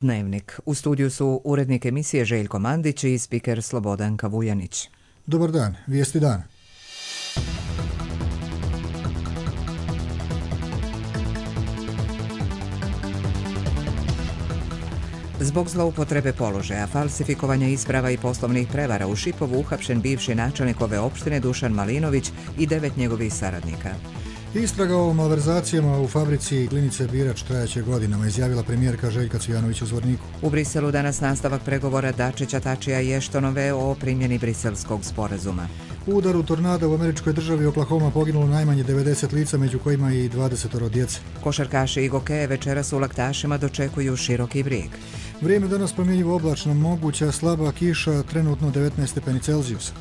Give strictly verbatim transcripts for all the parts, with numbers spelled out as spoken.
Dnevnik. U studiju su urednik emisije Željko Mandić i spiker Slobodanka Vujanić. Dobar dan, vijesti dana. Zbog zloupotrebe položaja, falsifikovanja isprava i poslovnih prevara u Šipovu uhapšen bivši načelnik ove opštine Dušan Malinović i devet njegovih saradnika. Istraga o malverzacijama u fabrici Glinice Birač trajaće godinama, izjavila premijerka Željka Cvijanović u Zvorniku. U Briselu danas nastavak pregovora Dačića, Tačija i Eštonove o primjeni briselskog sporazuma. U udaru tornada u američkoj državi Oklahoma poginulo najmanje devedeset lica, među kojima i dvadeset djece. Košarkaši i gokeje večeras u Laktašima dočekuju široki brijeg. Vrijeme danas promjenjivo oblačno, moguća slaba kiša, trenutno devetnaest stepeni Celzijusa.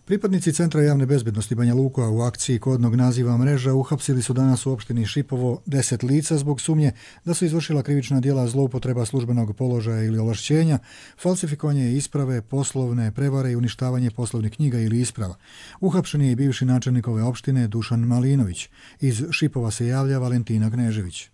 Pripadnici Centra javne bezbednosti Banja Luka u akciji kodnog naziva Mreža uhapsili su danas u opštini Šipovo deset lica zbog sumnje da su izvršila krivična djela zloupotreba službenog položaja ili ovlašćenja, falsifikovanje isprave, poslovne prevare i uništavanje poslovnih knjiga ili isprava. Uhapšen je i bivši načelnik ove opštine Dušan Malinović. Iz Šipova se javlja Valentina Gnežević.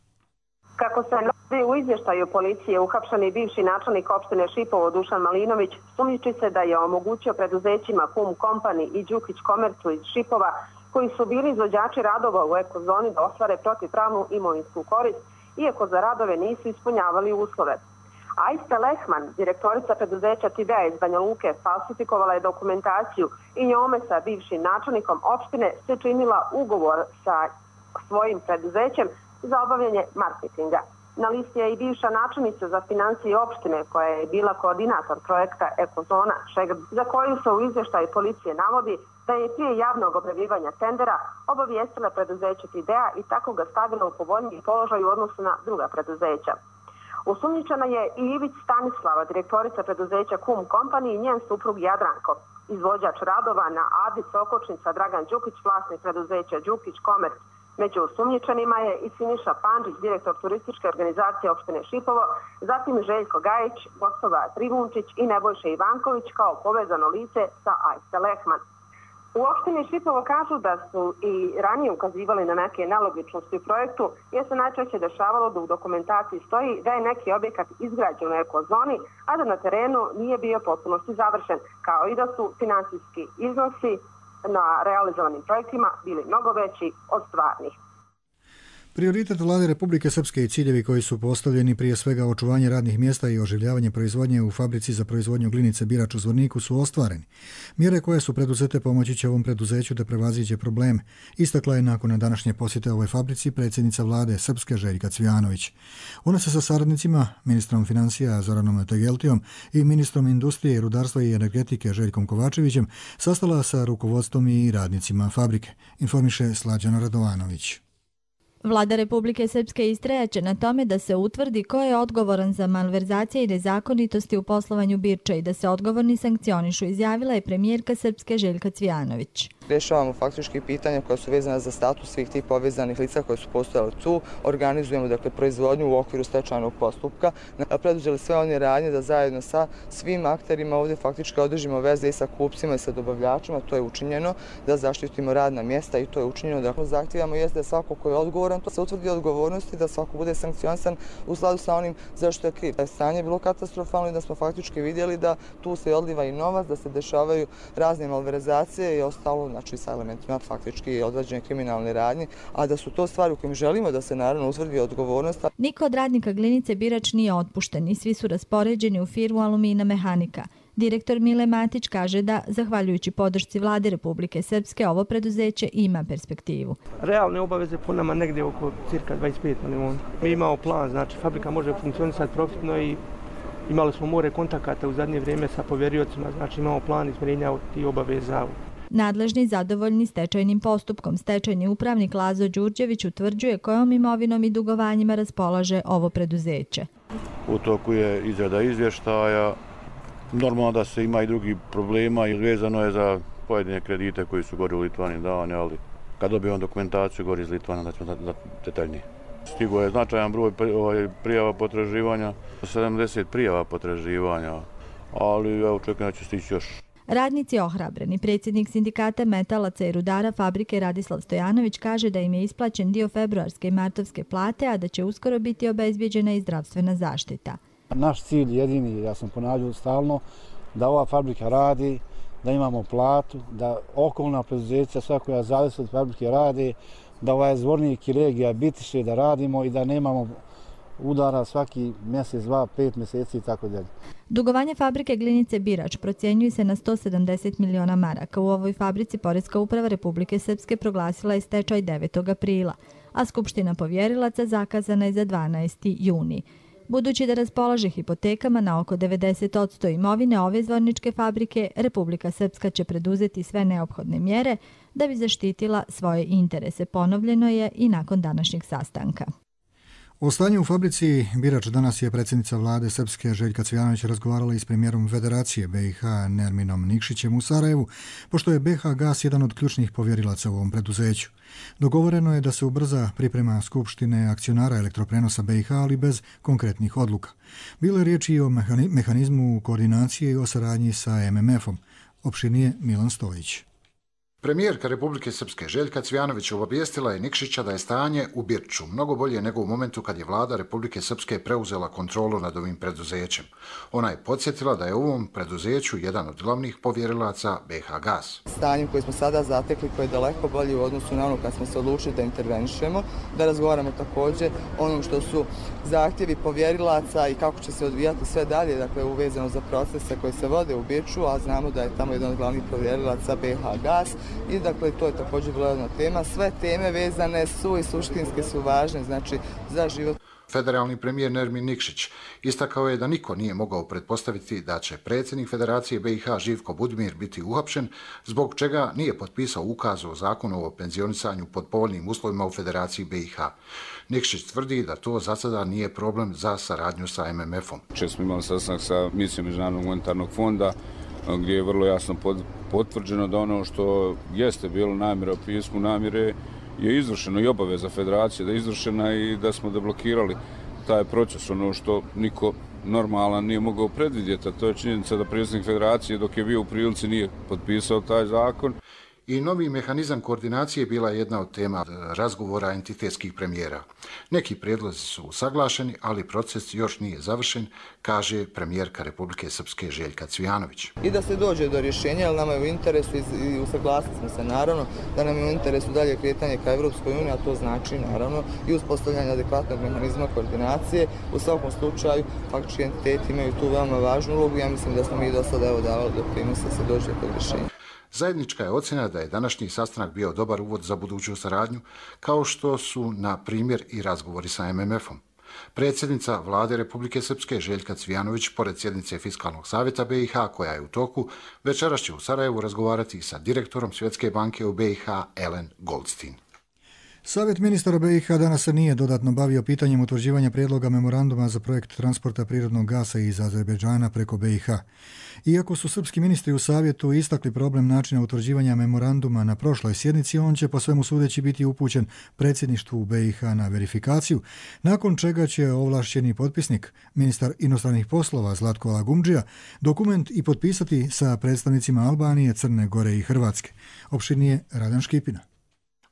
Kako se navodi u izvještaju policije, uhapšeni bivši načelnik opštine Šipovo Dušan Malinović sumnjiči se da je omogućio preduzećima Kum Company i Đukić Komercu iz Šipova, koji su bili izvođači radova u ekozoni, da ostvare protivpravnu imovinsku korist, iako za radove nisu ispunjavali uslove. Ajsta Lehman, direktorica preduzeća Tidea iz Banja Luke, falsifikovala je dokumentaciju i njome sa bivšim načelnikom opštine se činila ugovor sa svojim preduzećem za obavljanje marketinga. Na listi je i bivša načelnica za financije opštine, koja je bila koordinator projekta Ekozona Šegrad, za koju se u izvještaju policije navodi da je prije javnog objavljivanja tendera obavijestila preduzeće Tidea i tako ga stavila u povoljniji položaj u odnosu na druga preduzeća. Osumnjičena je i Ivić Stanislava, direktorica preduzeća Kum Company i njen suprug Jadranko, izvođač radova na Adi Sokočnica Dragan Đukić, vlasnik preduzeća Đukić Komerc. Među osumnjičenima je i Siniša Pandžić, direktor turističke organizacije opštine Šipovo, zatim Željko Gajić, Gostova Trivunčić i Nebojša Ivanković kao povezano lice sa Ajste Lehman. U opštini Šipovo kažu da su i ranije ukazivali na neke nelogičnosti u projektu, jer se najčešće dešavalo da u dokumentaciji stoji da je neki objekat izgrađen u ekozoni, a da na terenu nije bio potpunosti završen, kao i da su finansijski iznosi na realizovanim projektima bili mnogo veći od stvarnih. Prioritet Vlade Republike Srpske i ciljevi koji su postavljeni, prije svega očuvanje radnih mjesta i oživljavanje proizvodnje u fabrici za proizvodnju glinice Birač u Zvorniku, su ostvareni. Mjere koje su preduzete pomoći će ovom preduzeću da prevaziđe probleme, istakla je nakon današnje posjete ovoj fabrici predsjednica Vlade Srpske Željka Cvijanović. Ona se sa saradnicima, ministrom financija Zoranom Tegeltijom i ministrom industrije, rudarstva i energetike Željkom Kovačevićem sastala sa rukovodstvom i radnicima fabrike, informiše Slađana Radovanović. Vlada Republike Srpske istrajaće na tome da se utvrdi ko je odgovoran za malverzacije i nezakonitosti u poslovanju Birča i da se odgovorni sankcionišu, izjavila je premijerka Srpske Željka Cvijanović. Rješavamo faktički pitanja koja su vezana za status svih tih povezanih lica koje su postojali tu. Organizujemo dakle proizvodnju u okviru stečajnog postupka. Preduzeli sve one radnje da zajedno sa svim akterima ovdje faktički održimo veze i sa kupcima i sa dobavljačima. To je učinjeno, da zaštitimo radna mjesta i to je učinjeno. Dakle, zahtijevamo jeste da svako ko je odgovoran, to se utvrdi odgovornosti, da svako bude sankcionisan u skladu sa onim zašto je kriv. Stanje je bilo katastrofalno i da smo faktički vidjeli da tu se odliva i novac, da se dešavaju razne malverzacije i ostalo, znači sa elementima faktički određene kriminalne radnje, a da su to stvari u kojim želimo da se naravno utvrdi odgovornost. Niko od radnika glinice Birač nije otpušten i svi su raspoređeni u firmu Alumina Mehanika. Direktor Mile Matić kaže da, zahvaljujući podršci Vlade Republike Srpske, ovo preduzeće ima perspektivu. Realne obaveze po nama negdje oko cirka dvadeset pet milijuna. Mi imamo plan, znači fabrika može funkcionisati profitno i imali smo more kontakata u zadnje vrijeme sa povjeriocima, znači imamo plan izmirenja tih obaveza. Nadležni zadovoljni stečajnim postupkom, stečajni upravnik Lazo Đurđević utvrđuje kojom imovinom i dugovanjima raspolaže ovo preduzeće. U toku je izrada izvještaja. Normalno da se ima i drugi problema i vezano je za pojedine kredite koji su gori u Litvani davani, ali kad dobijemo dokumentaciju gori iz Litvana da ćemo da detaljnije. Stigo je značajan broj prijava potraživanja, sedamdeset prijava potraživanja, ali ja očekujem da će stići još. Radnici ohrabreni. Predsjednik sindikata metalaca i rudara fabrike Radislav Stojanović kaže da im je isplaćen dio februarske i martovske plate, a da će uskoro biti obezbijeđena i zdravstvena zaštita. Naš cilj jedini, ja sam ponavljao stalno, da ova fabrika radi, da imamo platu, da okolna preduzeća, sva koja zavisi od fabrike rade, da ovaj Zvornik i regija Bitiše da radimo i da nemamo udara svaki mjesec, dva, pet mjeseci i tako dalje. Dugovanje fabrike Glinice Birač procjenjuje se na sto sedamdeset miliona maraka. U ovoj fabrici Poreska uprava Republike Srpske proglasila je stečaj devetog aprila, a Skupština povjerilaca zakazana je za dvanaesti juni. Budući da raspolaže hipotekama na oko devedeset posto imovine ove zvorničke fabrike, Republika Srpska će preduzeti sve neophodne mjere da bi zaštitila svoje interese. Ponovljeno je i nakon današnjeg sastanka. O stanju u fabrici Birač danas je predsjednica vlade Srpske Željka Cvijanović razgovarala i s premijerom Federacije B i H Nerminom Nikšićem u Sarajevu, pošto je B H Gas jedan od ključnih povjerilaca u ovom preduzeću. Dogovoreno je da se ubrza priprema Skupštine akcionara elektroprenosa B i H, ali bez konkretnih odluka. Bilo je riječi o mehanizmu koordinacije i o saradnji sa M M F-om. Opširnije Milan Stojić. Premijerka Republike Srpske Željka Cvijanović obavijestila je Nikšića da je stanje u Birču mnogo bolje nego u momentu kad je vlada Republike Srpske preuzela kontrolu nad ovim preduzećem. Ona je podsjetila da je u ovom preduzeću jedan od glavnih povjerilaca B H Gas. Stanjem koji smo sada zatekli, koji je daleko bolji u odnosu na ono kad smo se odlučili da intervenišemo, da razgovaramo također onom što su zahtjevi povjerilaca i kako će se odvijati sve dalje, dakle uvezano za procese koji se vode u Birču, a znamo da je tamo jedan od glavnih povjerilaca B H Gas. I dakle, to je također bila jedna tema. Sve teme vezane su i suštinske su važne, znači za život. Federalni premijer Nermin Nikšić istakao je da niko nije mogao pretpostaviti da će predsjednik Federacije B i H Živko Budimir biti uhapšen, zbog čega nije potpisao ukaz o zakonu o penzionisanju pod povoljnim uslovima u Federaciji B i H. Nikšić tvrdi da to za sada nije problem za saradnju sa M M F-om. Često smo imali sastanak sa misijom Međunarodnog monetarnog fonda, gdje je vrlo jasno potvrđeno da ono što jeste bilo namjera u pismu namjere je izvršeno i obaveza Federacije da je izvršena i da smo deblokirali taj proces. Ono što niko normalan nije mogao predvidjeti, a to je činjenica da predsjednik Federacije dok je bio u prilici nije potpisao taj zakon. I novi mehanizam koordinacije bila je jedna od tema razgovora entitetskih premijera. Neki prijedlozi su usaglašeni, ali proces još nije završen, kaže premijerka Republike Srpske Željka Cvijanović. I da se dođe do rješenja, jer nama je u interesu i usaglasili smo se naravno da nam je u interesu dalje kretanje ka Evropskoj uniji, a to znači naravno i uspostavljanje adekvatnog mehanizma koordinacije. U svakom slučaju faktički entiteti imaju tu veoma važnu ulogu. Ja mislim da smo mi do sada evo davali doprinos da se dođe do rješenja. Zajednička je ocjena da je današnji sastanak bio dobar uvod za buduću saradnju, kao što su, na primjer, i razgovori sa M M F-om. Predsjednica vlade Republike Srpske Željka Cvijanović, pored sjednice Fiskalnog savjeta B i H koja je u toku, večeras će u Sarajevu razgovarati sa direktorom Svjetske banke u B i H Ellen Goldstein. Savjet ministara B i H danas se nije dodatno bavio pitanjem utvrđivanja prijedloga memoranduma za projekt transporta prirodnog gasa iz Azerbejdžana preko B i H. Iako su srpski ministri u savjetu istakli problem načina utvrđivanja memoranduma na prošloj sjednici, on će po svemu sudeći biti upućen predsjedništvu B i H na verifikaciju, nakon čega će ovlašćeni potpisnik, ministar inostranih poslova Zlatko Lagumdžija, dokument i potpisati sa predstavnicima Albanije, Crne Gore i Hrvatske. Opširnije Radan Škipina.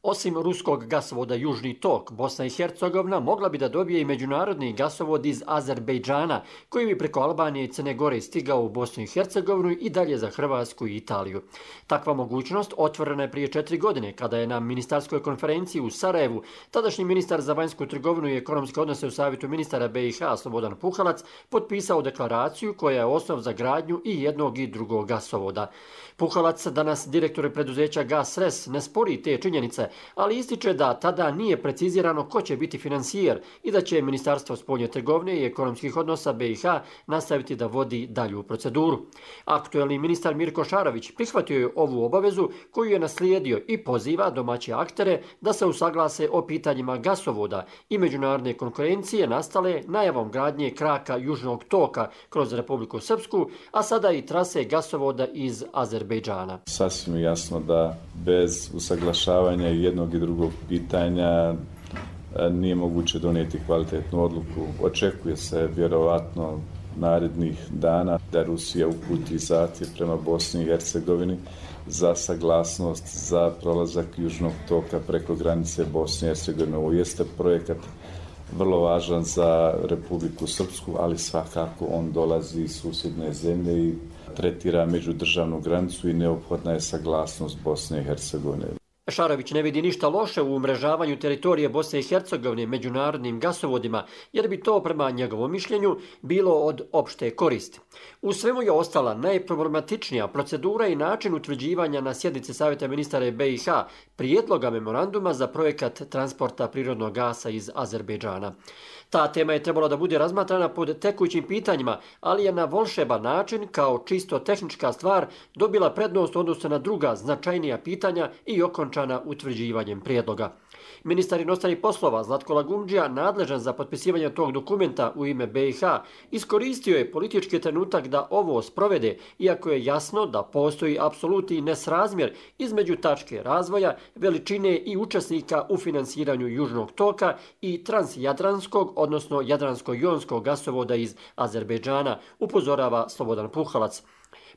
Osim ruskog gasovoda Južni tok, Bosna i Hercegovina mogla bi da dobije i međunarodni gasovod iz Azerbejdžana, koji bi preko Albanije i Crne Gore stigao u Bosnu i Hercegovinu i dalje za Hrvatsku i Italiju. Takva mogućnost otvorena je prije četiri godine, kada je na ministarskoj konferenciji u Sarajevu tadašnji ministar za vanjsku trgovinu i ekonomske odnose u Savjetu ministara B i H Slobodan Puhalac potpisao deklaraciju koja je osnov za gradnju i jednog i drugog gasovoda. Puhalac, danas direktor preduzeća Gas Res, ne spori te činjenice, ali ističe da tada nije precizirano ko će biti finansijer i da će Ministarstvo spoljne trgovine i ekonomskih odnosa B i H nastaviti da vodi dalju proceduru. Aktuelni ministar Mirko Šarović prihvatio je ovu obavezu koju je naslijedio i poziva domaće aktere da se usaglase o pitanjima gasovoda i međunarodne konkurencije nastale najavom gradnje kraka Južnog toka kroz Republiku Srpsku, a sada i trase gasovoda iz Azerbejdžana. Sasvim jasno da bez usaglašavanja jednog i drugog pitanja nije moguće donijeti kvalitetnu odluku. Očekuje se vjerovatno narednih dana da Rusija uputi zahtjev prema Bosni i Hercegovini za saglasnost za prolazak južnog toka preko granice Bosne i Hercegovine. Ovo jeste projekat vrlo važan za Republiku Srpsku, ali svakako on dolazi iz susjedne zemlje i tretira međudržavnu granicu i neophodna je saglasnost Bosne i Hercegovine. Šarović ne vidi ništa loše u umrežavanju teritorije Bosne i Hercegovine međunarodnim gasovodima, jer bi to, prema njegovom mišljenju, bilo od opšte koristi. U svemu je ostala najproblematičnija procedura i način utvrđivanja na sjednici Savjeta ministara B i H prijedloga memoranduma za projekat transporta prirodnog gasa iz Azerbejdžana. Ta tema je trebala da bude razmatrana pod tekućim pitanjima, ali je na volšeban način, kao čisto tehnička stvar, dobila prednost odnosno na druga značajnija pitanja i okončana utvrđivanjem prijedloga. Ministar inostranih poslova Zlatko Lagumdžija, nadležan za potpisivanje tog dokumenta u ime B i H, iskoristio je politički trenutak da ovo sprovede, iako je jasno da postoji apsolutni nesrazmjer između tačke razvoja, veličine i učesnika u finansiranju južnog toka i transjadranskog, odnosno jadransko-jonskog gasovoda iz Azerbejdžana, upozorava Slobodan Puhalac.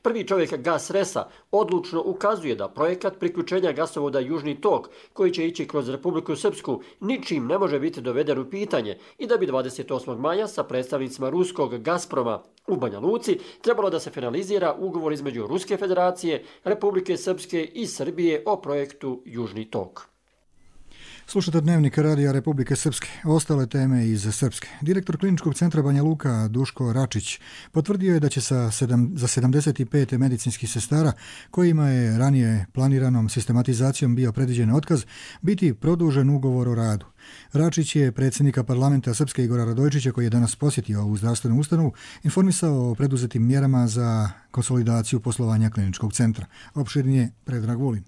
Prvi čovjek Gasresa odlučno ukazuje da projekat priključenja gasovoda Južni tok, koji će ići kroz Republiku Srpsku, ničim ne može biti doveden u pitanje i da bi dvadeset osmog maja sa predstavnicima ruskog Gazproma u Banja Luci trebalo da se finalizira ugovor između Ruske federacije, Republike Srpske i Srbije o projektu Južni tok. Slušate Dnevnik Radija Republike Srpske. Ostale teme iz Srpske. Direktor Kliničkog centra Banja Luka Duško Račić potvrdio je da će sa sedam, za sedamdeset pet medicinskih sestara, kojima je ranije planiranom sistematizacijom bio predviđen otkaz, biti produžen ugovor o radu. Račić je predsjednika parlamenta Srpske Igora Radojčića, koji je danas posjetio ovu zdravstvenu ustanovu, informisao o preduzetim mjerama za konsolidaciju poslovanja kliničkog centra. Opširnije Predrag Vulin.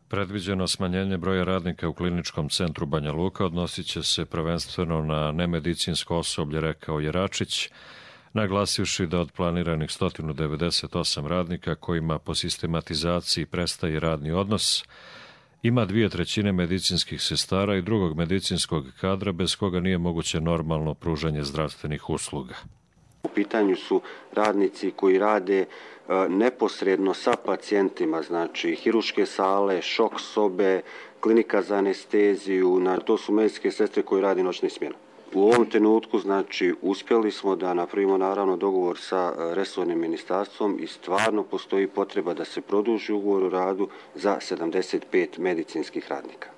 Predviđeno smanjenje broja radnika u kliničkom centru Banja Luka odnosit će se prvenstveno na nemedicinsko osoblje, rekao je Račić, naglasivši da od planiranih sto devedeset osam radnika kojima po sistematizaciji prestaje radni odnos, ima dvije trećine medicinskih sestara i drugog medicinskog kadra bez koga nije moguće normalno pružanje zdravstvenih usluga. U pitanju su radnici koji rade neposredno sa pacijentima, znači hiruške sale, šok sobe, klinika za anesteziju, to su medicinske sestre koji rade noćne smjene. U ovom trenutku, znači, uspjeli smo da napravimo naravno dogovor sa resornim ministarstvom i stvarno postoji potreba da se produži ugovor o radu za sedamdeset pet medicinskih radnika.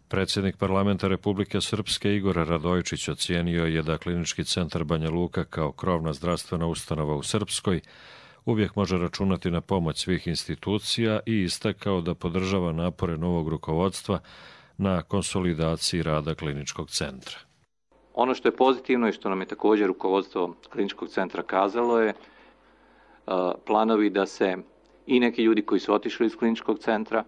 Predsjednik parlamenta Republike Srpske Igor Radojčić ocijenio je da Klinički centar Banja Luka kao krovna zdravstvena ustanova u Srpskoj uvijek može računati na pomoć svih institucija i istakao da podržava napore novog rukovodstva na konsolidaciji rada kliničkog centra. Ono što je pozitivno i što nam je također rukovodstvo kliničkog centra kazalo je planovi da se i neki ljudi koji su otišli iz kliničkog centra,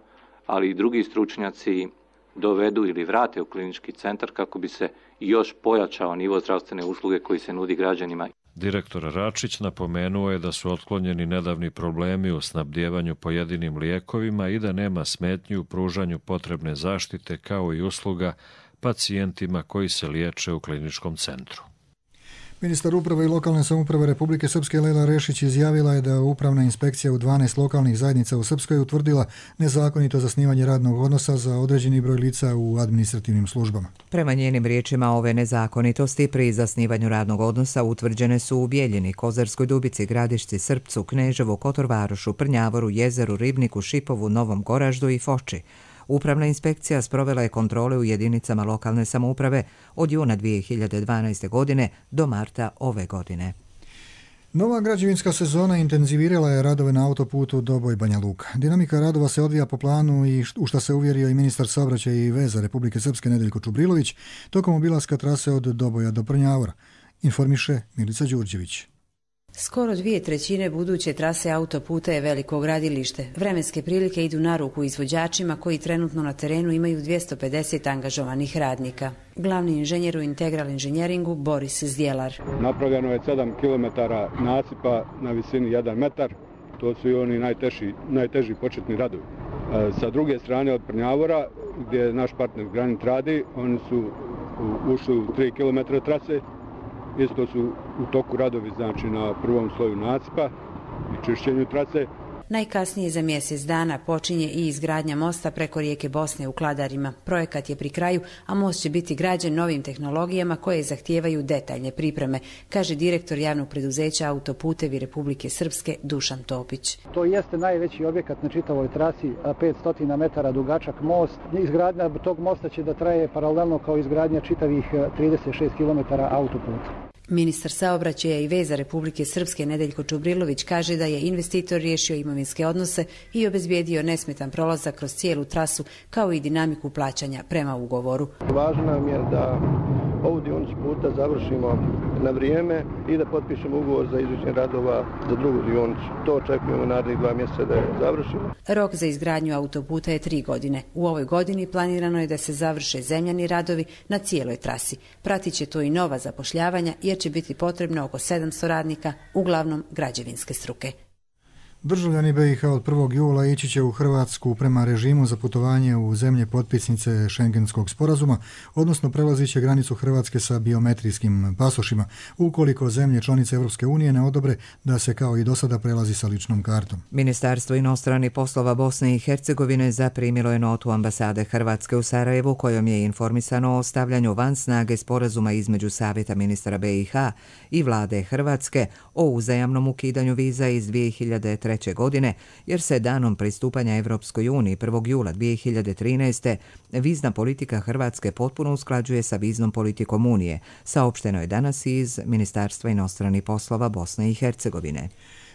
ali i drugi stručnjaci dovedu ili vrate u klinički centar kako bi se još pojačao nivo zdravstvene usluge koji se nudi građanima. Direktor Račić napomenuo je da su otklonjeni nedavni problemi u snabdjevanju pojedinim lijekovima i da nema smetnji u pružanju potrebne zaštite kao i usluga pacijentima koji se liječe u kliničkom centru. Ministar uprave i lokalne samouprave Republike Srpske Lela Rešić izjavila je da upravna inspekcija u dvanaest lokalnih zajednica u Srpskoj utvrdila nezakonito zasnivanje radnog odnosa za određeni broj lica u administrativnim službama. Prema njenim riječima, ove nezakonitosti pri zasnivanju radnog odnosa utvrđene su u Bijeljini, Kozarskoj Dubici, Gradišci, Srpcu, Kneževu, Kotorvarošu, Prnjavoru, Jezeru, Ribniku, Šipovu, Novom Goraždu i Foči. Upravna inspekcija sprovela je kontrole u jedinicama lokalne samouprave od juna dvije hiljade dvanaeste. godine do marta ove godine. Nova građevinska sezona intenzivirala je radove na autoputu Doboj-Banja Luka. Dinamika radova se odvija po planu i u šta se uvjerio i ministar saobraćaja i veza Republike Srpske Nedeljko Čubrilović tokom obilaska trase od Doboja do Prnjavora, informiše Milica Đurđević. Skoro dvije trećine buduće trase autoputa je veliko gradilište. Vremenske prilike idu na ruku izvođačima koji trenutno na terenu imaju dvjesto pedeset angažovanih radnika. Glavni inženjer u Integral inženjeringu Boris Zdjelar. Napravljeno je sedam kilometara nasipa na visini jedan metar. To su i oni najteži, najteži početni radovi. Sa druge strane od Prnjavora, gdje naš partner Granit radi, oni su ušli u tri kilometra trase Isto su u toku radovi znači na prvom sloju nacipa i čišćenju trase. Najkasnije za mjesec dana počinje i izgradnja mosta preko rijeke Bosne u Kladarima. Projekat je pri kraju, a most će biti građen novim tehnologijama koje zahtijevaju detaljne pripreme, kaže direktor javnog preduzeća Autoputevi Republike Srpske Dušan Topić. To jeste najveći objekat na čitavoj trasi, petsto metara dugačak most. Izgradnja tog mosta će da traje paralelno kao izgradnja čitavih trideset šest kilometara autoputa. Ministar saobraćaja i veza Republike Srpske Nedeljko Čubrilović kaže da je investitor riješio imovinske odnose i obezbijedio nesmetan prolazak kroz cijelu trasu kao i dinamiku plaćanja prema ugovoru. Važno nam je da ovu dionicu puta završimo na vrijeme i da potpišemo ugovor za izvođenje radova za drugu dionicu. To očekujemo narednih dva mjeseca da je završimo. Rok za izgradnju autoputa je tri godine. U ovoj godini planirano je da se završe zemljani radovi na cijeloj trasi. Pratit će to i nova zapošljavanja jer će biti potrebno oko sedamsto radnika, uglavnom građevinske struke. Državljani B i H od prvog jula ići će u Hrvatsku prema režimu za putovanje u zemlje potpisnice Šengenskog sporazuma, odnosno prelazit će granicu Hrvatske sa biometrijskim pasošima, ukoliko zemlje članice Europske unije ne odobre da se kao i do sada prelazi sa ličnom kartom. Ministarstvo inostranih poslova Bosne i Hercegovine zaprimilo je notu ambasade Hrvatske u Sarajevu kojom je informisano o stavljanju van snage sporazuma između Savjeta ministara B i H i vlade Hrvatske o uzajamnom ukidanju viza iz dvije hiljade treće godine, jer se danom pristupanja Evropskoj uniji prvog jula dvije hiljade trinaeste. vizna politika Hrvatske potpuno usklađuje sa viznom politikom Unije, saopšteno je danas iz Ministarstva inostranih poslova Bosne i Hercegovine.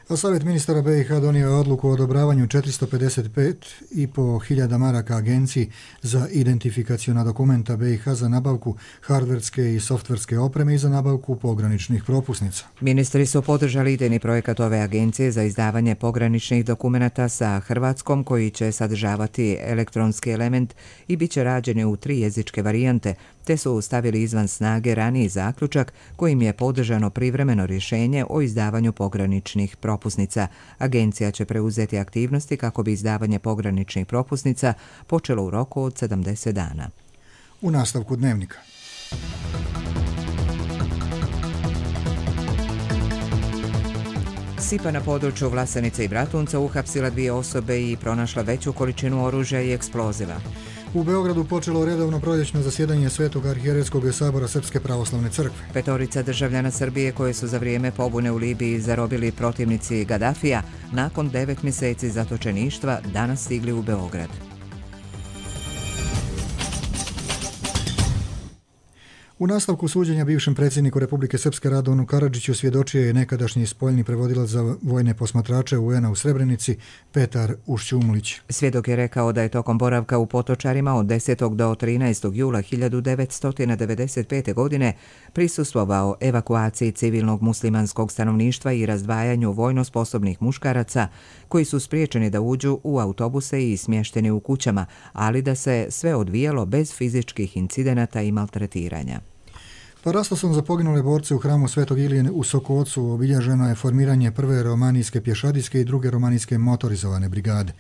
A Savjet ministara B i H donio je odluku o odobravanju četiristo pedeset pet i po hiljada maraka agenciji za identifikaciona dokumenta B i H za nabavku hardverske i softverske opreme i za nabavku pograničnih propusnica. Ministri su podržali idejni projekat ove agencije za izdavanje pograničnih dokumenata sa Hrvatskom koji će sadržavati elektronski element i bit će rađeni u tri jezičke varijante, te su stavili izvan snage raniji zaključak kojim je podržano privremeno rješenje o izdavanju pograničnih propusnica. Agencija će preuzeti aktivnosti kako bi izdavanje pograničnih propusnica počelo u roku od sedamdeset dana. U nastavku dnevnika. Sipa na području Vlasenice i Bratunca uhapsila dvije osobe i pronašla veću količinu oružja i eksploziva. U Beogradu počelo redovno proljećno zasjedanje Svetog arhijerejskog sabora Srpske pravoslavne crkve. Petorica državljana Srbije koje su za vrijeme pobune u Libiji zarobili protivnici Gadafija, nakon devet mjeseci zatočeništva danas stigli u Beograd. U nastavku suđenja bivšem predsjedniku Republike Srpske Radovanu Karadžiću svjedočio je nekadašnji spoljni prevodilac za vojne posmatrače U N a u Srebrenici Petar Ušćumlić. Svjedok je rekao da je tokom boravka u Potočarima od desetog do trinaestog jula hiljadu devetsto devedeset pete. godine prisustvovao evakuaciji civilnog muslimanskog stanovništva i razdvajanju vojno sposobnih muškaraca koji su spriječeni da uđu u autobuse i smješteni u kućama, ali da se sve odvijalo bez fizičkih incidenata i maltretiranja. Parastosom za poginule borce u hramu Svetog Ilije u Sokocu obilježeno je formiranje prve romanijske pješadijske i druge romanijske motorizovane brigade.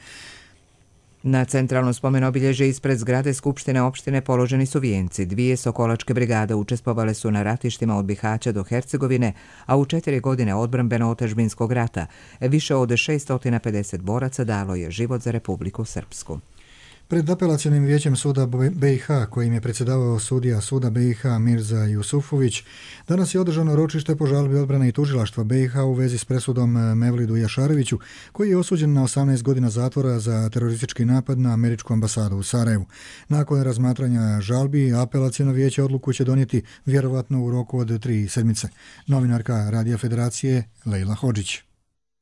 Na centralno spomen obilježje ispred zgrade Skupštine opštine položeni su vijenci. Dvije sokolačke brigade učestvovale su na ratištima od Bihaća do Hercegovine, a u četiri godine odbrambeno-otadžbinskog rata više od šesto pedeset boraca dalo je život za Republiku Srpsku. Pred apelacionim vijećem suda B i H, kojim je predsjedavao sudija suda B i H Mirza Jusufović, danas je održano ročište po žalbi odbrane i tužilaštva B i H u vezi s presudom Mevlidu Jašareviću, koji je osuđen na osamnaest godina zatvora za teroristički napad na američku ambasadu u Sarajevu. Nakon razmatranja žalbi, apelaciono vijeće odluku će donijeti vjerovatno u roku od tri sedmice. Novinarka Radija Federacije Lejla Hodžić.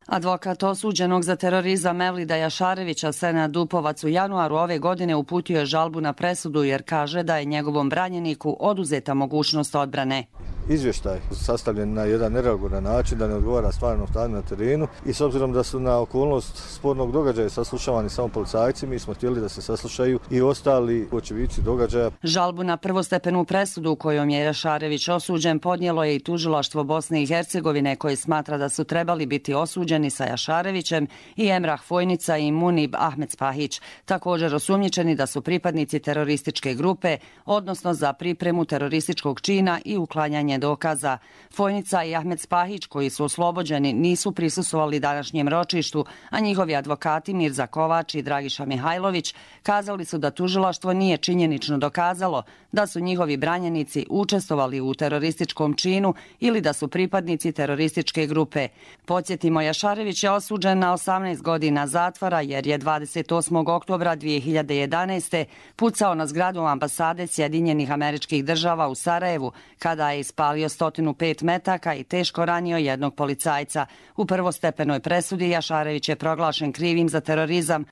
Advokat osuđenog za terorizam Mevlida Jašarevića Senad Dupovac u januaru ove godine uputio je žalbu na presudu jer kaže da je njegovom branjeniku oduzeta mogućnost odbrane. Izvještaj sastavljen na jedan neregulan način, da ne odgovara stvarnom stanju na terenu i s obzirom da su na okolnost spornog događaja saslušavani samo policajci, mi smo htjeli da se saslušaju i ostali očevici događaja. Žalbu na prvostepenu presudu kojom je Jašarević osuđen podnijelo je i tužilaštvo Bosne i Hercegovine koje smatra da su trebali biti osuđeni sa Jašarevićem i Emrah Fojnica i Munib Ahmed Spahić, također osumnjičeni da su pripadnici terorističke grupe, odnosno za pripremu terorističkog čina i uklanjanje prikupljanje dokaza. Fojnica i Ahmed Spahić, koji su oslobođeni, nisu prisustvovali današnjem ročištu, a njihovi advokati Mirza Kovač i Dragiša Mihajlović kazali su da tužilaštvo nije činjenično dokazalo da su njihovi branjenici učestvovali u terorističkom činu ili da su pripadnici terorističke grupe. Podsjetimo, Jašarević je osuđen na osamnaest godina zatvora jer je dvadeset osmog oktobra dvije hiljade jedanaeste. pucao na zgradu ambasade Sjedinjenih Američkih Država u Sarajevu kada je ispalio sto pet metaka i teško ranio jednog policajca. U prvostepenoj presudi Jašarević je proglašen krivim za terorizam.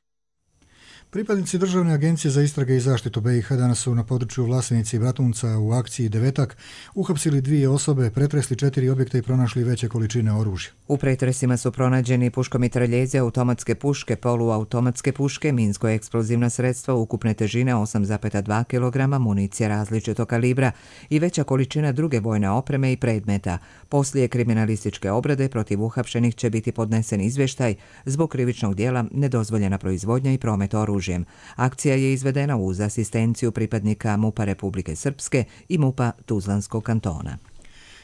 Pripadnici Državne agencije za istrage i zaštitu B i H danas su na području Vlasenice i Bratunca u akciji Devetak uhapsili dvije osobe, pretresli četiri objekta i pronašli veće količine oružja. U pretresima su pronađeni puškomitraljeze, automatske puške, poluautomatske puške, minsko-eksplozivna sredstva ukupne težine osam zarez dva kilograma, municije različitog kalibra i veća količina druge vojne opreme i predmeta. Poslije kriminalističke obrade protiv uhapšenih će biti podnesen izvještaj zbog krivičnog dijela nedozvoljena proizvodnja i promet oružja. Akcija je izvedena uz asistenciju pripadnika MUP-a Republike Srpske i MUP-a Tuzlanskog kantona.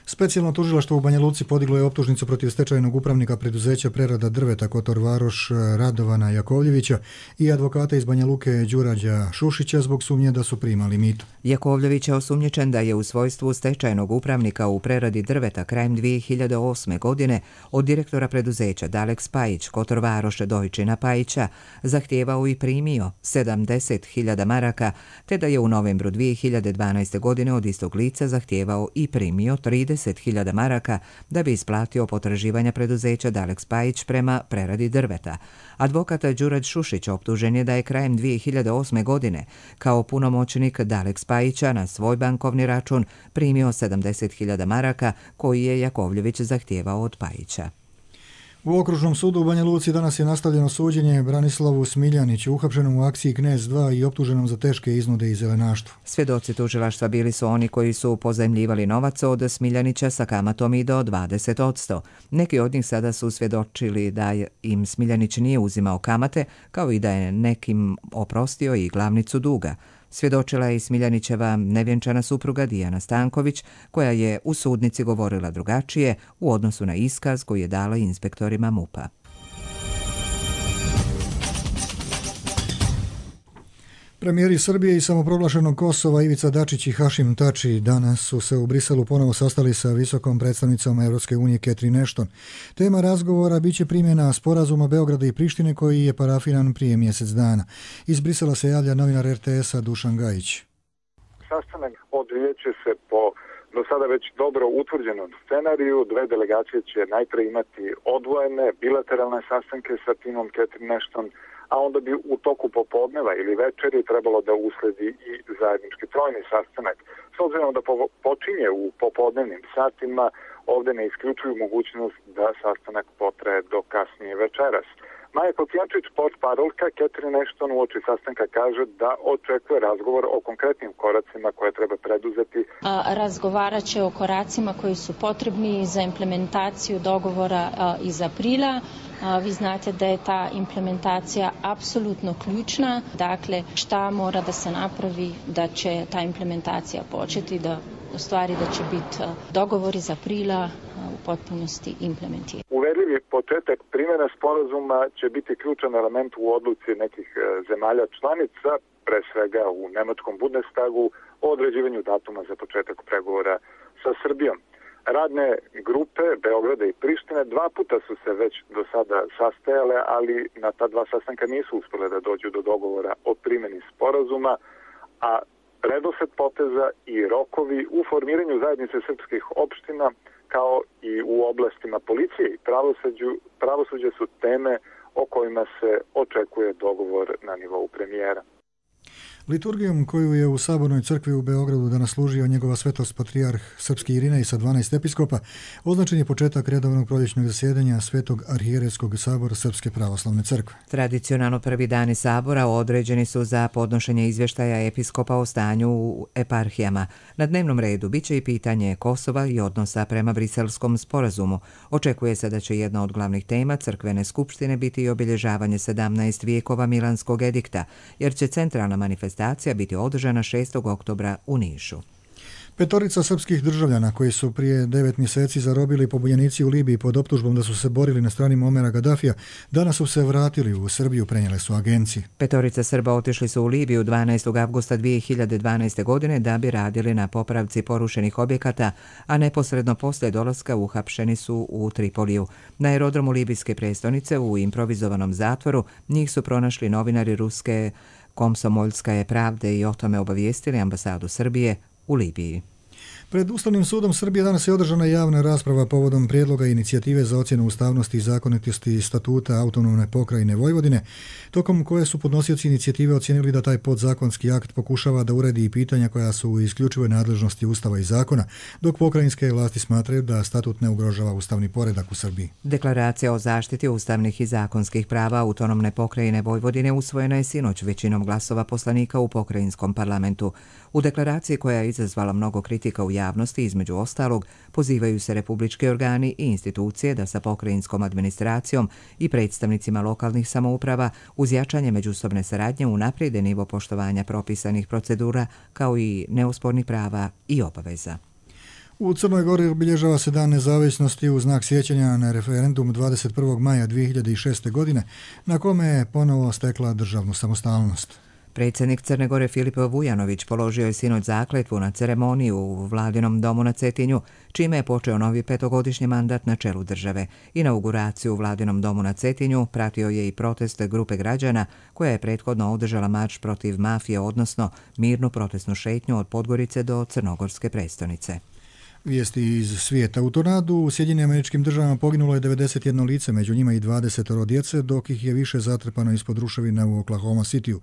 Specijalno tužilaštvo u Banja Luci podiglo je optužnicu protiv stečajnog upravnika preduzeća prerada drveta Kotor Varoš Radovana Jakovljevića i advokata iz Banja Luke Đurađa Šušića zbog sumnje da su primali mito. Jakovljević je osumnjičen da je u svojstvu stečajnog upravnika u preradi drveta krajem dvije hiljade osme. godine od direktora preduzeća Dalek Spajić Kotor Varoš Dojčina Pajića zahtijevao i primio sedamdeset hiljada maraka, te da je u novembru dvije hiljade dvanaeste. godine od istog lica zahtijevao i primio trideset hiljada maraka da bi isplatio potraživanja preduzeća Dalek Spajić prema preradi drveta. Advokat Đurađ Šušić optužen je da je krajem dvije hiljade osme. godine kao punomoćnik Dalek Spajića na svoj bankovni račun primio sedamdeset hiljada maraka koji je Jakovljević zahtijevao od Pajića. U Okružnom sudu u Banja Luci danas je nastavljeno suđenje Branislavu Smiljaniću, uhapšenom u akciji Knez dva i optuženom za teške iznude i zelenaštvo. Svjedoci tužilaštva bili su oni koji su pozajmljivali novac od Smiljanića sa kamatom i do dvadeset posto. Neki od njih sada su svjedočili da im Smiljanić nije uzimao kamate, kao i da je nekim oprostio i glavnicu duga. Svjedočila je i Smiljanićeva nevjenčana supruga Dijana Stanković, koja je u sudnici govorila drugačije u odnosu na iskaz koji je dala inspektorima MUP-a. Premijeri Srbije i samoproglašenog Kosova Ivica Dačić i Hašim Tači danas su se u Briselu ponovo sastali sa visokom predstavnicom Evropske unije Catherine Ashton. Tema razgovora biće primjena sporazuma Beograda i Prištine koji je parafiran prije mjesec dana. Iz Brisela se javlja novinar er te esa Dušan Gajić. Sastanak odvijeće se po do sada već dobro utvrđenom scenariju. Dve delegacije će najprej imati odvojene bilateralne sastanke sa timom Catherine Ashton, a onda bi u toku popodneva ili večeri trebalo da usledi i zajednički trojni sastanak. S obzirom da počinje u popodnevnim satima, ovdje ne isključuju mogućnost da sastanak potraje do kasnije večeras. Maja Kocijančić, portparolka Catherine Ashton, uoči sastanka kaže da očekuje razgovor o konkretnim koracima koje treba preduzeti. Razgovarat će o koracima koji su potrebni za implementaciju dogovora iz aprila. Vi znate da je ta implementacija apsolutno ključna. Dakle, šta mora da se napravi da će ta implementacija početi, da u stvari da će biti dogovor iz aprila u potpunosti implementiran. Uverljivi početak primjene sporazuma će biti ključan element u odluci nekih zemalja članica, pre svega u nemačkom Bundestagu, o određivanju datuma za početak pregovora sa Srbijom. Radne grupe Beograda i Prištine dva puta su se već do sada sastajale, ali na ta dva sastanka nisu uspjele da dođu do dogovora o primjeni sporazuma, a redosled poteza i rokovi u formiranju zajednice srpskih opština kao i u oblastima policije i pravosuđa su teme o kojima se očekuje dogovor na nivou premijera. Liturgijom koju je u Sabornoj crkvi u Beogradu danas služio njegova svetost patrijarh srpski Irinej sa dvanaest episkopa, označen je početak redovnog proljećnog zasjedanja Svetog arhijerejskog sabora Srpske pravoslavne crkve. Tradicionalno prvi dani sabora određeni su za podnošenje izvještaja episkopa o stanju u eparhijama. Na dnevnom redu biće i pitanje Kosova i odnosa prema Briselskom sporazumu. Očekuje se da će jedna od glavnih tema crkvene skupštine biti i obilježavanje sedamnaest vijekova Milanskog edikta, jer će centralna manifestacija biti održana šestog oktobra u Nišu. Petorica srpskih državljana koji su prije devet mjeseci zarobili pobunjenici u Libiji pod optužbom da su se borili na strani Muamera Gaddafija, danas su se vratili u Srbiju, prenijele su agencije. Petorica Srba otišli su u Libiju dvanaestog avgusta dvije hiljade dvanaeste. godine da bi radili na popravci porušenih objekata, a neposredno poslije dolaska uhapšeni su u Tripoliju. Na aerodromu libijske prestonice u improvizovanom zatvoru njih su pronašli novinari ruske Komsomoljskaje pravde i o tome obavijestili ambasadu Srbije u Libiji. Pred Ustavnim sudom Srbije danas je održana javna rasprava povodom prijedloga inicijative za ocjenu ustavnosti i zakonitosti statuta autonomne pokrajine Vojvodine, tokom koje su podnosioci inicijative ocijenili da taj podzakonski akt pokušava da uredi i pitanja koja su u isključivoj nadležnosti Ustava i zakona, dok pokrajinske vlasti smatraju da statut ne ugrožava ustavni poredak u Srbiji. Deklaracija o zaštiti ustavnih i zakonskih prava autonomne pokrajine Vojvodine usvojena je sinoć većinom glasova poslanika u pokrajinskom parlamentu. U deklaraciji, koja je izazvala mnogo kritika u javnosti, između ostalog, pozivaju se republički organi i institucije da sa pokrajinskom administracijom i predstavnicima lokalnih samouprava uz jačanje međusobne saradnje unaprijede nivo poštovanja propisanih procedura kao i neospornih prava i obaveza. U Crnoj Gori obilježava se Dan nezavisnosti u znak sjećanja na referendum dvadeset prvog maja dvije hiljade šeste. godine, na kome je ponovo stekla državnu samostalnost. Predsjednik Crne Gore Filip Vujanović položio je sinoć zakletvu na ceremoniju u Vladinom domu na Cetinju, čime je počeo novi petogodišnji mandat na čelu države. Inauguraciju u Vladinom domu na Cetinju pratio je i protest grupe građana koja je prethodno održala marš protiv mafije, odnosno mirnu protestnu šetnju od Podgorice do crnogorske prestonice. Vijesti iz svijeta. U tornadu u Sjedinjenim Američkim Državama poginulo je devedeset jedno lice, među njima i dvadeset djece, dok ih je više zatrpano ispod ruševina u Oklahoma Cityu.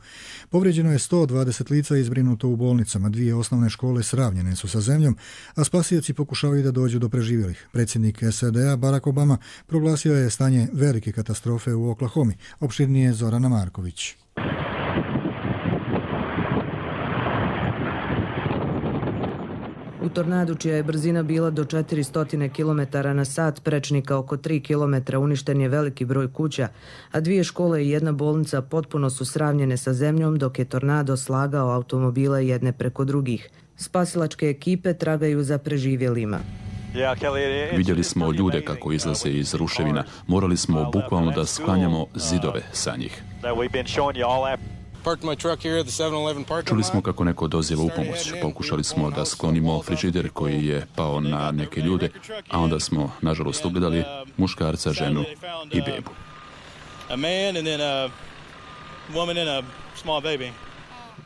Povrijeđeno je sto dvadeset lica i zbrinuto u bolnicama. Dvije osnovne škole sravnjene su sa zemljom, a spasioci pokušavaju da dođu do preživjelih. Predsjednik S A D A Barack Obama proglasio je stanje velike katastrofe u Oklahomi. Opširnije Zorana Marković. U tornadu, čija je brzina bila do četiristo kilometara na sat, prečnika oko tri kilometra, uništen je veliki broj kuća, a dvije škole i jedna bolnica potpuno su sravnjene sa zemljom, dok je tornado slagao automobile jedne preko drugih. Spasilačke ekipe tragaju za preživjelima. Vidjeli smo ljude kako izlaze iz ruševina. Morali smo bukvalno da sklanjamo zidove sa njih. Čuli smo kako neko doziva u pomoć. Pokušali smo da sklonimo frižider koji je pao na neke ljude, a onda smo, nažalost, ugledali muškarca, ženu i bebu.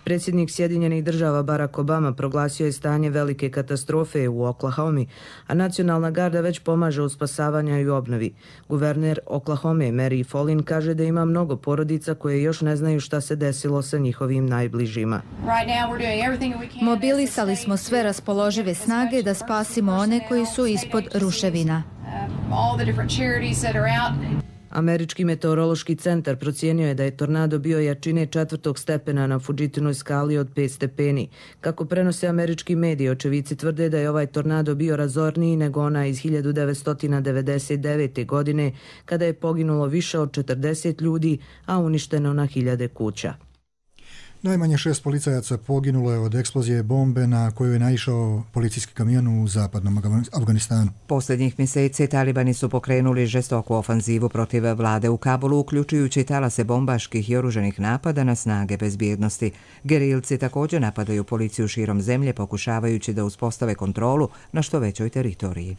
Predsjednik Sjedinjenih Država Barack Obama proglasio je stanje velike katastrofe u Oklahomi, a nacionalna garda već pomaže u spasavanju i obnovi. Guverner Oklahome Mary Folin kaže da ima mnogo porodica koje još ne znaju šta se desilo sa njihovim najbližima. Mobilisali smo sve raspoložive snage da spasimo one koji su ispod ruševina. Američki meteorološki centar procijenio je da je tornado bio jačine četvrtog stepena na Fujitinoj skali od pet stepeni. Kako prenose američki mediji, očevici tvrde da je ovaj tornado bio razorniji nego ona iz hiljadu devetsto devedeset devete. godine, kada je poginulo više od četrdeset ljudi, a uništeno na hiljade kuća. Najmanje šest policajaca poginulo je od eksplozije bombe na koju je naišao policijski kamion u zapadnom Afganistanu. Posljednjih mjeseci talibani su pokrenuli žestoku ofanzivu protiv vlade u Kabulu, uključujući talase bombaških i oruženih napada na snage bezbjednosti. Gerilci također napadaju policiju širom zemlje, pokušavajući da uspostave kontrolu na što većoj teritoriji.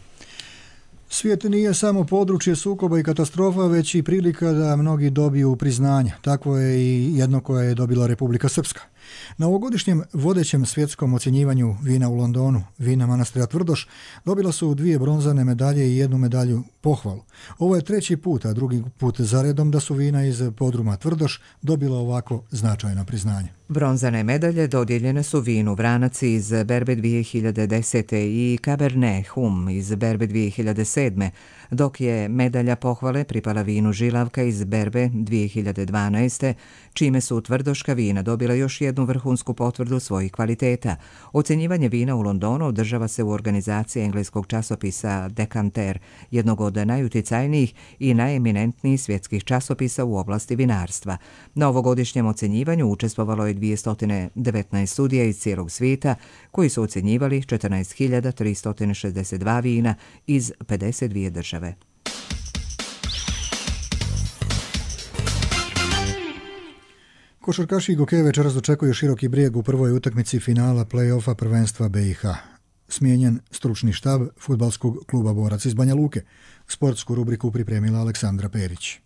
Svijet nije samo područje sukoba i katastrofa, već i prilika da mnogi dobiju priznanja. Takvo je i jedno koje je dobila Republika Srpska. Na ovogodišnjem vodećem svjetskom ocjenjivanju vina u Londonu, vina manastira Tvrdoš, dobila su dvije bronzane medalje i jednu medalju pohvalu. Ovo je treći put, a drugi put zaredom da su vina iz podruma Tvrdoš dobila ovako značajno priznanje. Bronzane medalje dodijeljene su vinu Vranac iz berbe dvije hiljade desete. i Cabernet Hum iz berbe dvije hiljade sedme. dok je medalja pohvale pripala vinu Žilavka iz berbe dvije hiljade dvanaeste. čime su tvrdoška vina dobila još jednu jednu vrhunsku potvrdu svojih kvaliteta. Ocenjivanje vina u Londonu održava se u organizaciji engleskog časopisa Decanter, jednog od najuticajnijih i najeminentnijih svjetskih časopisa u oblasti vinarstva. Na ovogodišnjem ocenjivanju učestvovalo je dvjesto devetnaest sudija iz cijelog svijeta koji su ocenjivali četrnaest hiljada tristo šezdeset dva vina iz pedeset dvije države. Košarkaši Gokeje večeras dočekuju Široki Brijeg u prvoj utakmici finala play-offa prvenstva B i H. Smijenjen stručni štab fudbalskog kluba Borac iz Banja Luke. Sportsku rubriku pripremila Aleksandra Perić.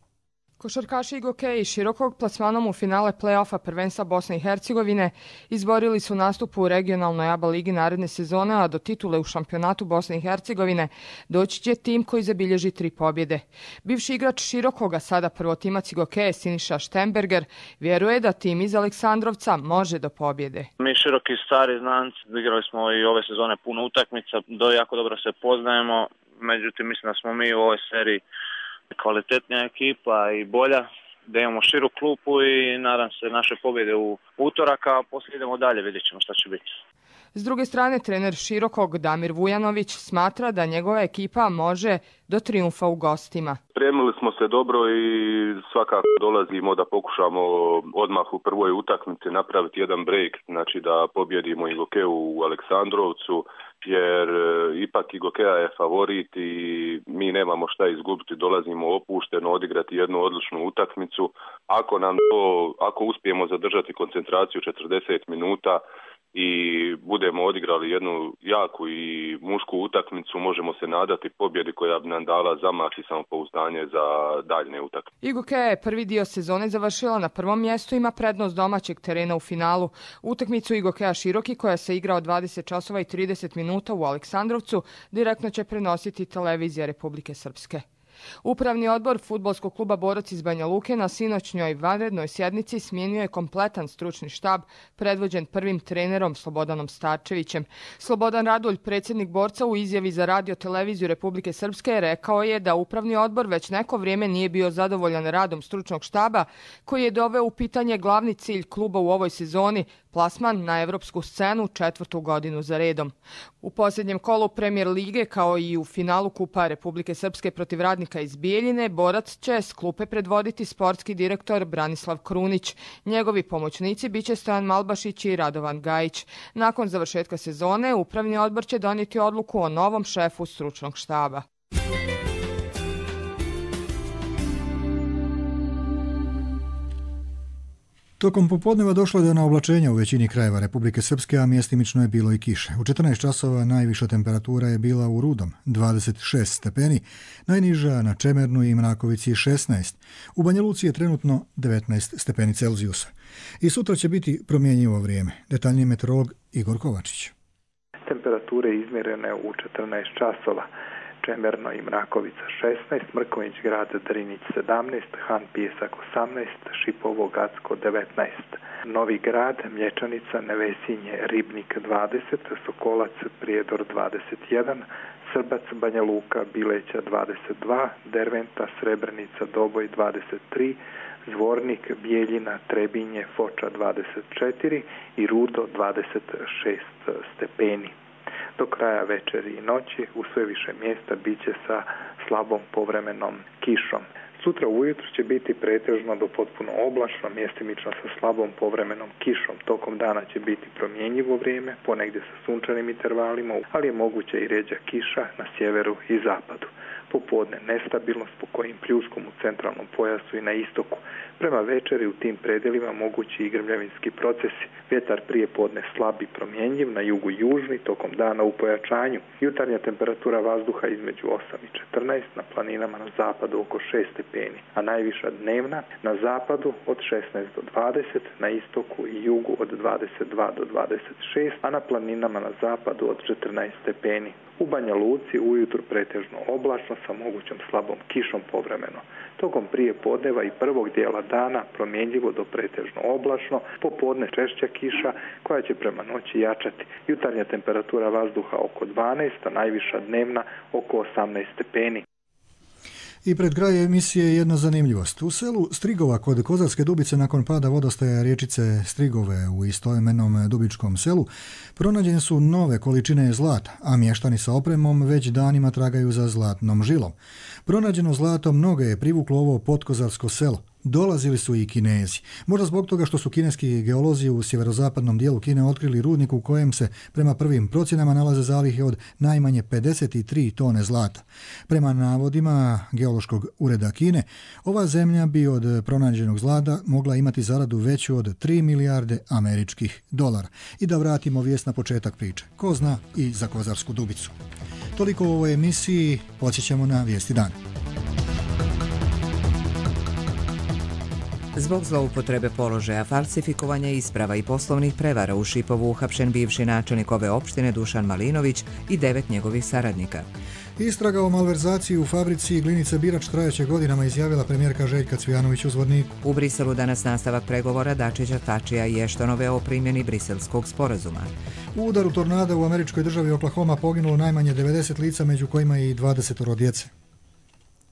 Košarkaši Gokeji širokog plasmanom u finale play-offa prvenstva Bosne i Hercegovine izborili su nastup u regionalnoj A B A ligi naredne sezone, a do titule u šampionatu Bosne i Hercegovine doći će tim koji zabilježi tri pobjede. Bivši igrač Širokoga, sada prvotimac Gokeje Siniša Štemberger, vjeruje da tim iz Aleksandrovca može do pobjede. Mi Široki stari znanci, igrali smo i ove sezone puno utakmica, do jako dobro se poznajemo, međutim mislim da smo mi u ovoj seriji kvalitetnija ekipa i bolja, da imamo širu klupu i nadam se naše pobjede u utorak, a poslije idemo dalje, vidjet ćemo šta će biti. S druge strane, trener Širokog Damir Vujanović smatra da njegova ekipa može do trijumfa u gostima. Spremili smo se dobro i svakako dolazimo da pokušamo odmah u prvoj utakmici napraviti jedan break, znači da pobjedimo i Gokeju u Aleksandrovcu, jer ipak i Gokeja je favorit i mi nemamo šta izgubiti, dolazimo opušteno odigrati jednu odličnu utakmicu. Ako nam to, ako uspijemo zadržati koncentraciju četrdeset minuta i budemo odigrali jednu jaku i mušku utakmicu, možemo se nadati pobjedi koja bi nam dala zamah i samopouzdanje za daljne utakmice. I Gokeja je prvi dio sezone završila na prvom mjestu, ima prednost domaćeg terena u finalu. Utakmicu i Gokeja Široki, koja se igra od dvadeset časova i trideset minuta u Aleksandrovcu, direktno će prenositi televizija Republike Srpske. Upravni odbor fudbalskog kluba Borac iz Banja Luke na sinoćnjoj vanrednoj sjednici smijenio je kompletan stručni štab predvođen prvim trenerom Slobodanom Starčevićem. Slobodan Radulj, predsjednik Borca, u izjavi za radio televiziju Republike Srpske rekao je da upravni odbor već neko vrijeme nije bio zadovoljan radom stručnog štaba, koji je doveo u pitanje glavni cilj kluba u ovoj sezoni, plasman na evropsku scenu četvrtu godinu za redom. U posljednjem kolu Premier lige, kao i u finalu Kupa Republike Srpske protiv Radnika iz Bijeljine, Borac će s klupe predvoditi sportski direktor Branislav Krunić. Njegovi pomoćnici biće Stojan Malbašić i Radovan Gajić. Nakon završetka sezone, upravni odbor će donijeti odluku o novom šefu stručnog štaba. Tokom popodneva došlo je do naoblačenja u većini krajeva Republike Srpske, a mjestimično je bilo i kiše. U četrnaest časova najviša temperatura je bila u Rudom, dvadeset šest stepeni, najniža na Čemernu i Mrakovici šesnaest. U Banja Luci je trenutno devetnaest stepeni Celzijusa. I sutra će biti promjenjivo vrijeme. Detaljniji meteorolog Igor Kovačić. Temperature izmjerene u četrnaest časova. Čemerno i Mrakovica šesnaest, Mrkonjić grad Drinić sedamnaest, Han Pijesak osamnaest, Šipovo Gacko devetnaest, Novi grad, Mlječanica, Nevesinje, Ribnik dvadeset, Sokolac, Prijedor dvadeset jedan, Srbac, Banja Luka, Bileća dvadeset dva, Derventa, Srebrenica, Doboj dvadeset tri, Zvornik, Bijeljina, Trebinje, Foča dvadeset četiri i Rudo dvadeset šest stepeni. Do kraja večeri i noći u sve više mjesta biće sa slabom povremenom kišom. Sutra ujutro će biti pretežno do potpuno oblačno, mjestimično sa slabom povremenom kišom. Tokom dana će biti promjenjivo vrijeme, ponegdje sa sunčanim intervalima, ali je moguća i rjeđa kiša na sjeveru i zapadu. Popodne nestabilnost po kojim pljuskom u centralnom pojasu i na istoku. Prema večeri u tim predjelima mogući i grmljavinski procesi. Vjetar prije podne slab i promjenjiv, na jugu južni, tokom dana u pojačanju. Jutarnja temperatura vazduha između osam i četrnaest, na planinama na zapadu oko šest stepeni, a najviša dnevna na zapadu od šesnaest do dvadeset, na istoku i jugu od dvadeset dva do dvadeset šest, a na planinama na zapadu od četrnaest stepeni. U Banja Luci ujutro pretežno oblačno sa mogućom slabom kišom povremeno. Tokom prije podneva i prvog dijela dana promjenjivo do pretežno oblačno, popodne češća kiša koja će prema noći jačati. Jutarnja temperatura vazduha oko dvanaest, a najviša dnevna oko osamnaest stepeni. I pred kraj emisije jedna zanimljivost. U selu Strigova kod Kozarske Dubice nakon pada vodostaja rječice Strigove u istoimenom Dubičkom selu pronađene su nove količine zlata, a mještani sa opremom već danima tragaju za zlatnom žilom. Pronađeno zlato mnoge je privuklo ovo podkozarsko selo. Dolazili su i Kinezi. Možda zbog toga što su kineski geolozi u sjeverozapadnom dijelu Kine otkrili rudnik u kojem se prema prvim procjenama nalaze zalihe od najmanje pedeset tri tone zlata. Prema navodima geološkog ureda Kine, ova zemlja bi od pronađenog zlata mogla imati zaradu veću od tri milijarde američkih dolara. I da vratimo vijest na početak priče. Ko zna i za Kozarsku Dubicu. Toliko u ovoj emisiji, podsjećamo na vijesti dana. Zbog zloupotrebe položaja, falsifikovanja isprava i poslovnih prevara u Šipovu uhapšen bivši načelnik ove opštine Dušan Malinović i devet njegovih saradnika. Istraga o malverzaciji u fabrici Glinica Birač trajeće godinama, izjavila premijerka Željka Cvijanović u Zvorniku. U Briselu danas nastavak pregovora Dačića, Tačija i Eštonove o primjeni briselskog sporazuma. U udaru tornada u američkoj državi Oklahoma poginulo najmanje devedeset lica, među kojima i dvadeset djece.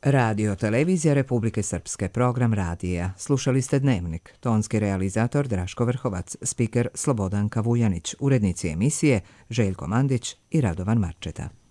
Radio Televizija Republike Srpske, program radija. Slušali ste Dnevnik. Tonski realizator Draško Vrhovac, spiker Slobodanka Vujanić, urednici emisije Željko Mandić i Radovan Marčeta.